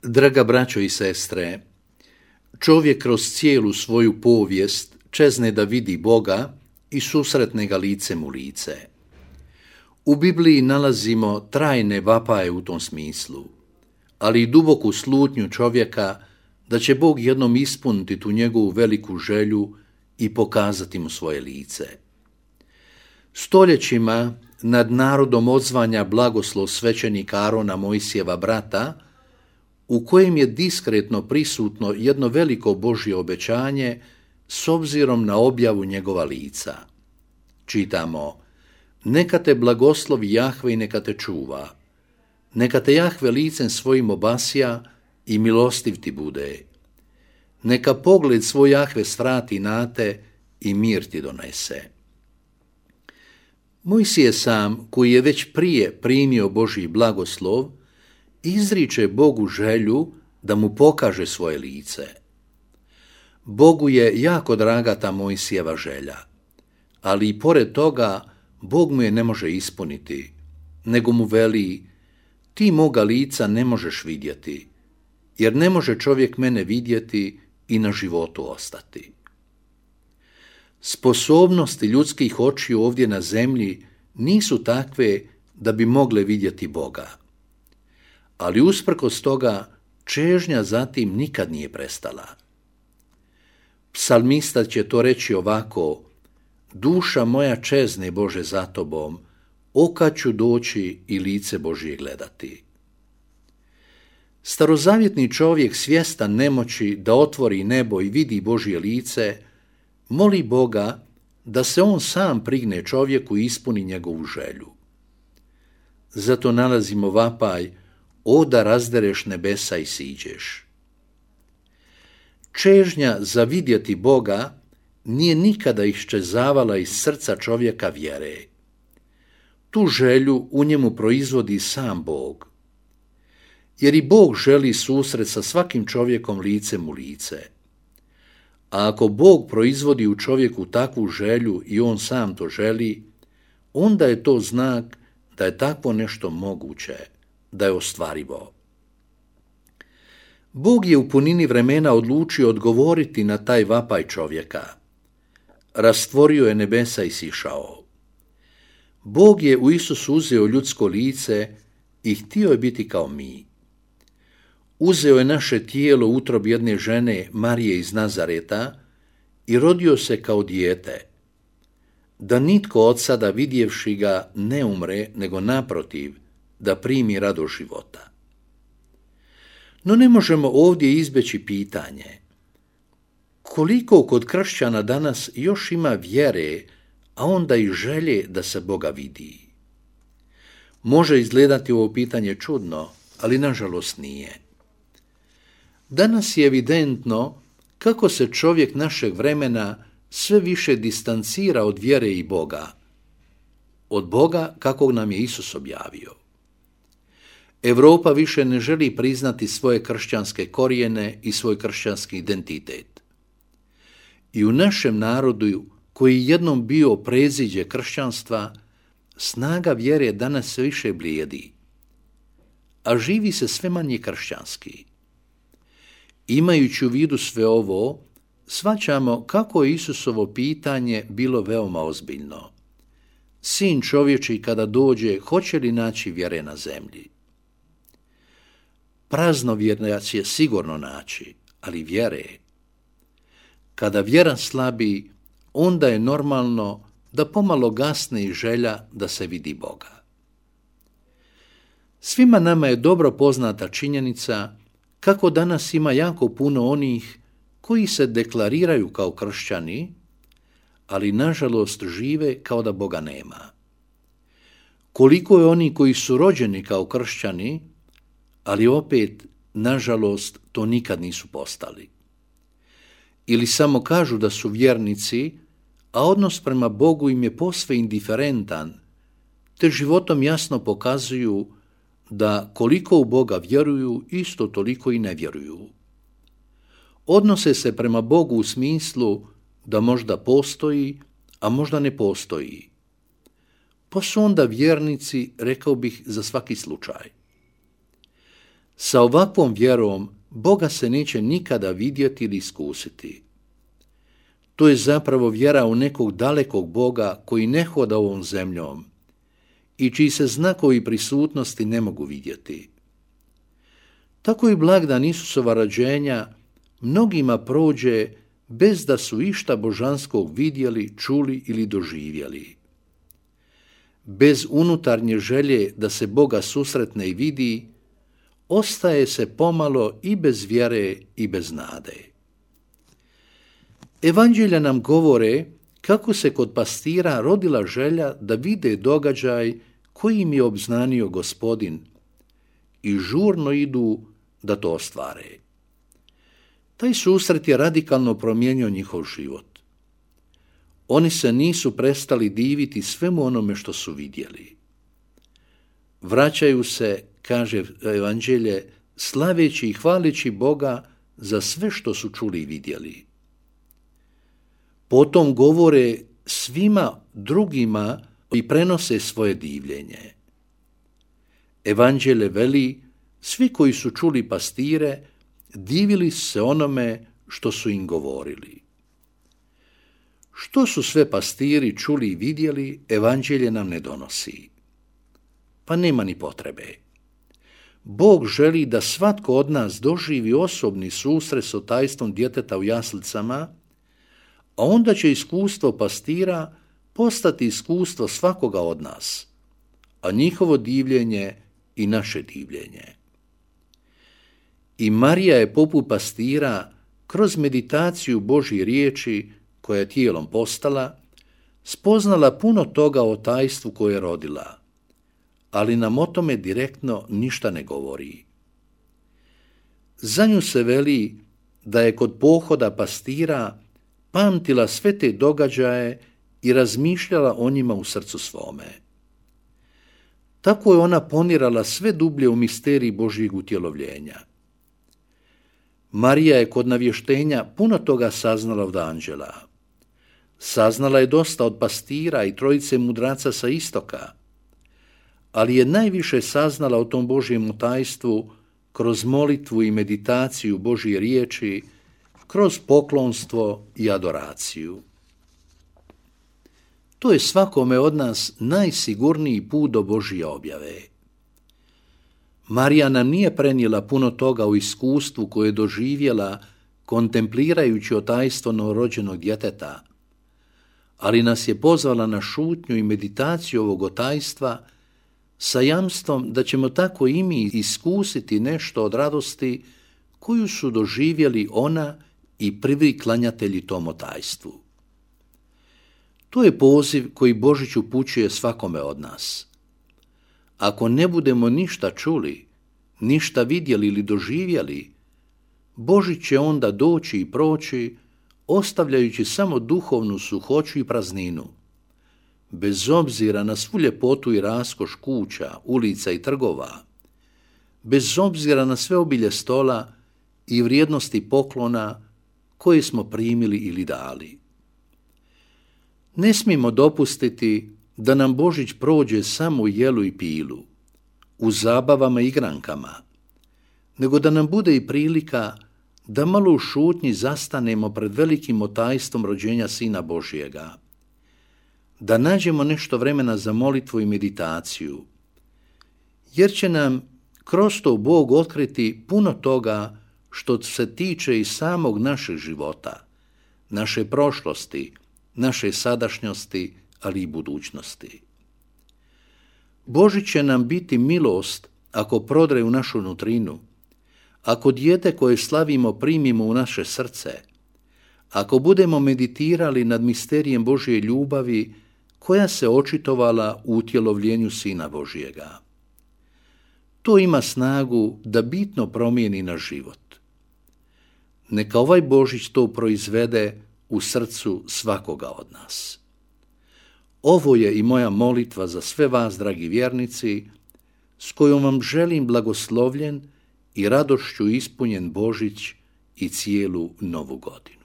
Draga braćo i sestre, čovjek kroz cijelu svoju povijest čezne da vidi Boga i susretne ga licem u lice. U Bibliji nalazimo trajne vapaje u tom smislu, ali i duboku slutnju čovjeka da će Bog jednom ispuniti tu njegovu veliku želju i pokazati mu svoje lice. Stoljećima nad narodom odzvanja blagoslov svećenika Arona, Mojsijeva brata, u kojem je diskretno prisutno jedno veliko Božje obećanje s obzirom na objavu njegova lica. Čitamo: neka te blagoslovi Jahve i neka te čuva, neka te Jahve licem svojim obasja i milostiv ti bude. Neka pogled svoj Jahve svrati na te i mir ti donese. Mojsije sam, koji je već prije primio Božji blagoslov, izriče Bogu želju da mu pokaže svoje lice. Bogu je jako draga ta Mojsijeva želja, ali i pored toga Bog mu je ne može ispuniti, nego mu veli: ti moga lica ne možeš vidjeti, jer ne može čovjek mene vidjeti i na životu ostati. Sposobnosti ljudskih očiju ovdje na zemlji nisu takve da bi mogle vidjeti Boga. Ali usprkos toga čežnja za tim nikad nije prestala. Psalmista će to reći ovako: duša moja čezne Bože za tobom, okad ću doći i lice Božje gledati. Starozavjetni čovjek, svjestan nemoći da otvori nebo i vidi Božje lice, moli Boga da se on sam prigne čovjeku i ispuni njegovu želju. Zato nalazimo vapaj: o da razdereš nebesa i siđeš. Čežnja za vidjeti Boga nije nikada iščezavala iz srca čovjeka vjere. Tu želju u njemu proizvodi sam Bog. Jer i Bog želi susret sa svakim čovjekom licem u lice. A ako Bog proizvodi u čovjeku takvu želju i on sam to želi, onda je to znak da je takvo nešto moguće, da je ostvarivo. Bog je u punini vremena odlučio odgovoriti na taj vapaj čovjeka. Rastvorio je nebesa i sišao. Bog je u Isusu uzeo ljudsko lice i htio je biti kao mi. Uzeo je naše tijelo u utrob jedne žene, Marije iz Nazareta, i rodio se kao dijete, da nitko od sada vidjevši ga ne umre, nego naprotiv, da primi radost života. No ne možemo ovdje izbjeći pitanje: koliko kod kršćana danas još ima vjere, a onda i želje da se Boga vidi? Može izgledati ovo pitanje čudno, ali nažalost nije. Danas je evidentno kako se čovjek našeg vremena sve više distancira od vjere i Boga, od Boga kakvog nam je Isus objavio. Europa više ne želi priznati svoje kršćanske korijene i svoj kršćanski identitet. I u našem narodu, koji je jednom bio preziđe kršćanstva, snaga vjere danas sve više blijedi, a živi se sve manje kršćanski. Imajući u vidu sve ovo, shvaćamo kako je Isusovo pitanje bilo veoma ozbiljno. Sin čovječji kada dođe, hoće li naći vjere na zemlji? Praznovjernac će sigurno naći, ali vjere. Kada vjera slabi, onda je normalno da pomalo gasne i želja da se vidi Boga. Svima nama je dobro poznata činjenica kako danas ima jako puno onih koji se deklariraju kao kršćani, ali nažalost žive kao da Boga nema. Koliko je oni koji su rođeni kao kršćani, ali opet, nažalost, to nikad nisu postali. Ili samo kažu da su vjernici, a odnos prema Bogu im je posve indiferentan, te životom jasno pokazuju da koliko u Boga vjeruju, isto toliko i ne vjeruju. Odnose se prema Bogu u smislu da možda postoji, a možda ne postoji. Pa su onda vjernici, rekao bih, za svaki slučaj. Sa ovakvom vjerom Boga se neće nikada vidjeti ili iskusiti. To je zapravo vjera u nekog dalekog Boga koji ne hoda ovom zemljom i čiji se znakovi prisutnosti ne mogu vidjeti. Tako i blagdan Isusova rođenja mnogima prođe bez da su išta božanskog vidjeli, čuli ili doživjeli. Bez unutarnje želje da se Boga susretne i vidi, ostaje se pomalo i bez vjere i bez nade. Evanđelja nam govore kako se kod pastira rodila želja da vide događaj koji im je obznanio Gospodin i žurno idu da to ostvare. Taj susret je radikalno promijenio njihov život. Oni se nisu prestali diviti svemu onome što su vidjeli. Vraćaju se, kaže Evanđelje, slaveći i hvaleći Boga za sve što su čuli i vidjeli. Potom govore svima drugima i prenose svoje divljenje. Evanđelje veli, svi koji su čuli pastire, divili se onome što su im govorili. Što su sve pastiri čuli i vidjeli, Evanđelje nam ne donosi. Pa nema ni potrebe. Bog želi da svatko od nas doživi osobni susret s tajstvom djeteta u jaslicama, a onda će iskustvo pastira postati iskustvo svakoga od nas, a njihovo divljenje i naše divljenje. I Marija je poput pastira kroz meditaciju Božje riječi koja je tijelom postala, spoznala puno toga o tajstvu koje je rodila, ali nam o tome direktno ništa ne govori. Za nju se veli da je kod pohoda pastira pamtila sve te događaje i razmišljala o njima u srcu svome. Tako je ona ponirala sve dublje u misteriji Božjeg utjelovljenja. Marija je kod navještenja puno toga saznala od anđela. Saznala je dosta od pastira i trojice mudraca sa istoka, ali je najviše saznala o tom Božjem tajstvu kroz molitvu i meditaciju Božje riječi, kroz poklonstvo i adoraciju. To je svakome od nas najsigurniji put do Božje objave. Marija nam nije prenijela puno toga u iskustvu koje je doživjela kontemplirajući tajstvo novorođenog djeteta, ali nas je pozvala na šutnju i meditaciju ovog tajstva sa jamstvom da ćemo tako i mi iskusiti nešto od radosti koju su doživjeli ona i prvi klanjatelji tom tajstvu. To je poziv koji Božić upućuje svakome od nas. Ako ne budemo ništa čuli, ništa vidjeli ili doživjeli, Božić će onda doći i proći, ostavljajući samo duhovnu suhoću i prazninu, bez obzira na svu ljepotu i raskoš kuća, ulica i trgova, bez obzira na sve obilje stola i vrijednosti poklona koje smo primili ili dali. Ne smijemo dopustiti da nam Božić prođe samo u jelu i pilu, u zabavama i igrankama, nego da nam bude i prilika da malo u šutnji zastanemo pred velikim tajstvom rođenja Sina Božjega, da nađemo nešto vremena za molitvu i meditaciju, jer će nam kroz to Bog otkriti puno toga što se tiče i samog našeg života, naše prošlosti, naše sadašnjosti, ali i budućnosti. Božić će nam biti milost ako prodre u našu nutrinu, ako dijete koje slavimo primimo u naše srce, ako budemo meditirali nad misterijem Božje ljubavi koja se očitovala u utjelovljenju Sina Božjega. To ima snagu da bitno promijeni naš život. Neka ovaj Božić to proizvede u srcu svakoga od nas. Ovo je i moja molitva za sve vas, dragi vjernici, s kojom vam želim blagoslovljen i radošću ispunjen Božić i cijelu novu godinu.